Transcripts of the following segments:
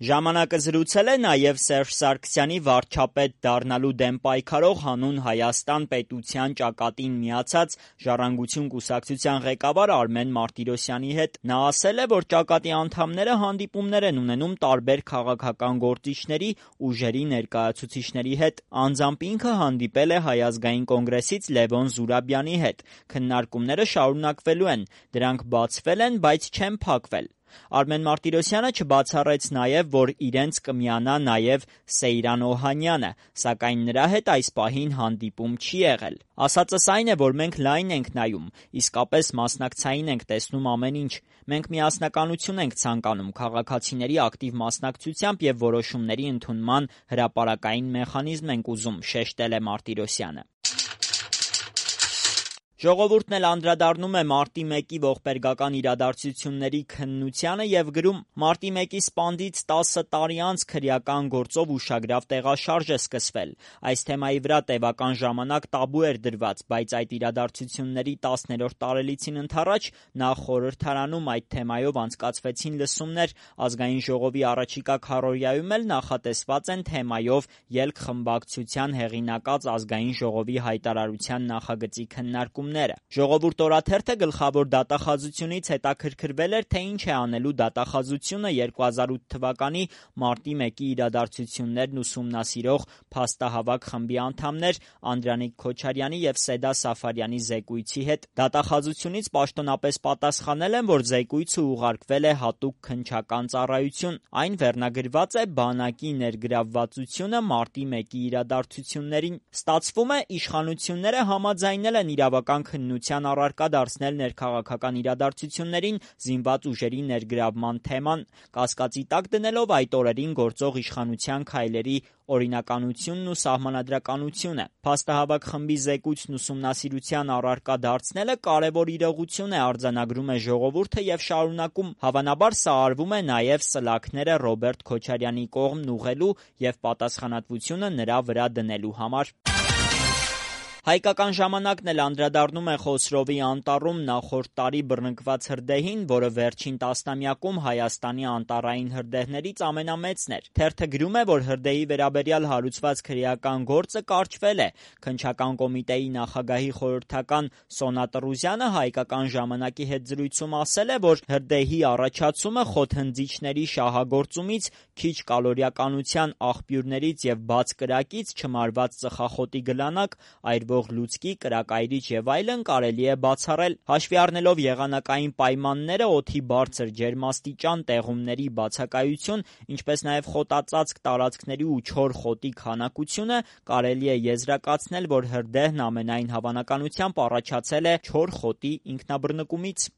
Ժամանակը զրուցել է նաև Սերժ Սարգսյանի վարչապետ դառնալու դեմ պայքարող հանուն Հայաստան պետության ճակատին միացած Ժառանգություն կուսակցության ղեկավար Արմեն Մարտիրոսյանի հետ։ Նա ասել է, որ ճակատի անդամները հանդիպումներ են ունենում տարբեր քաղաքական գործիչների, ուժերի ներկայացուցիչների հետ։ Անձամբ ինքը հանդիպել է Հայ ազգային կոնգրեսից Լևոն Զուրաբյանի հետ։ Քննարկումները շարունակվելու են։ Դրանք բացվել են, բայց չեն փակվել։ Արմեն Մարտիրոսյանը չբացառեց նաև, որ իրենց կմիանա նաև Սեյրան Օհանյանը, սակայն նրա հետ այս պահին հանդիպում չի եղել։ Ասածս այն է, որ մենք լայն ենք նայում, իսկապես մասնակցային ենք տեսնում ամեն ինչ։ Մենք միասնականություն ենք ցանկանում, քաղաքացիների ակտիվ մասնակցությամբ և որոշումների ընդունման հրապարակային մեխանիզմ ենք ուզում, շեշտել է Մարտիրոսյանը։ Ժողովուրդն էլ անդրադառնում է մարտի 1-ի ողբերգական իրադարձությունների քննությանը և գրում. «Մարտի 1-ի սպանդից 10 տարի անց քրեական գործով ուշագրավ տեղաշարժ է սկսվել։ Այս թեմայի վրա տևական ժամանակ տաբու էր դրված, բայց այդ իրադարձությունների 10-րդ տարելիցին ընդառաջ նախ խորհրդարանում այդ թեմայով անցկացվեցին լսումներ, Ազգային ժողովի առաջիկա քառօրյայում էլ նախատեսված են թեմայով ելք-խմբակցության հեղինակած Ազգային ժողովի հայտարարության նախագծի քննարկումները։ Ժողովուրդ օրաթերթը գլխավոր դատախազությունից հետաքրքրվել էր, թե ինչ է անելու դատախազությունը 2008 թվականի մարտի 1-ի իրադարձություններն ուսումնասիրող փաստահավաք խմբի անդամներ Անդրանիկ Քոչարյանի և Սեդա Սաֆարյանի զեկույցի հետ։ Դատախազությունից պաշտոնապես պատասխանել են, որ զեկույցը ուղարկվել է հատուկ քննչական ծառայություն։ Այն վերնագրված է «Բանակի ներգրավվածությունը մարտի 1-ի իրադարձություններին»։ Ստացվում է, իշխանությունները համաձայնել են իրավական քննության առարկա դարձնել ներքաղաքական իրադարձություններին զինված ուժերի ներգրավման թեման, կասկածի տակ դնելով այդ օրերին գործող իշխանության քայլերի օրինականությունն ու սահմանադրականությունը։ Փաստահավաք խմբի զեկույցն ուսումնասիրության առարկա դարձնելը կարևոր իրողություն է, արձանագրում է Ժողովուրդը և շարունակում. հավանաբար սա արվում է նաև սլաքները Ռոբերտ Քոչարյանի կողմն ուղղելու և պատասխանատվությունը նրա վրա դնելու համար։ Հայկական ժամանակն էլ անդրադառնում է Խոսրովի անտառում նախորդ տարի բռնկված հրդեհին, որը վերջին տասնամյակում Հայաստանի անտառային հրդեհներից ամենամեծն էր։ Թերթը գրում է, որ հրդեհի վերաբերյալ հարուցված քրեական գործը կարճվել է։ Քննչական կոմիտեի նախագահի խորհրդական Սոնա Տրուզյանը Հայկական ժամանակի հետ զրույցում ասել է, որ հրդեհի առաջացումը խոթհնձիչների շահագործումից, քիչ կալորիականության աղբյուրներից և բաց կրակից, չմարված ծխախոտի գլանակ, այրվող լուցկի, կրակայրիչ և այլն կարելի է բացառել։ Հաշվի առնելով եղանակային պայմանները, օդի բարձր ջերմաստիճան, տեղումների բացակայություն, ինչպես նաև խոտածածկ տարածքների ու չոր խոտի քանակությունը, կարելի է եզրակացնել, որ հրդեհն ամենայն հավանականությամբ առաջացել է չոր խոտի ինքնաբռնկումից։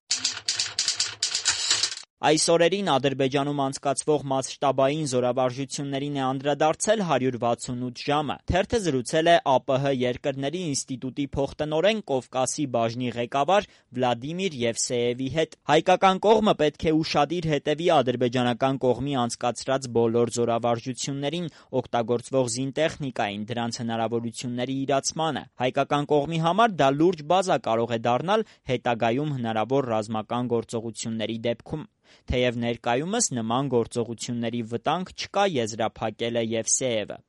Այս օրերին Ադրբեջանում անցկացվող մասշտաբային զորավարժություններին է անդրադարձել 168 ժամը։ Թերթը զրուցել է ԱՊՀ երկրների ինստիտուտի փոխտնօրեն Կովկասի բաժնի ղեկավար Վլադիմիր Եվսեևի հետ։ Հայկական կողմը պետք է ուշադիր հետևի ադրբեջանական կողմի անցկացրած բոլոր զորավարժություններին, օգտագործվող զինտեխնիկային, դրանց հնարավորությունների իրացմանը։ Հայկական կողմի համար դա լուրջ բազա կարող է դառնալ հետագայում հնարավոր ռազմական գործողությունների դեպքում։ Թեև ներկայումս նման գործողությունների վտանգ չկա, եզրափակել է Եվսեևը։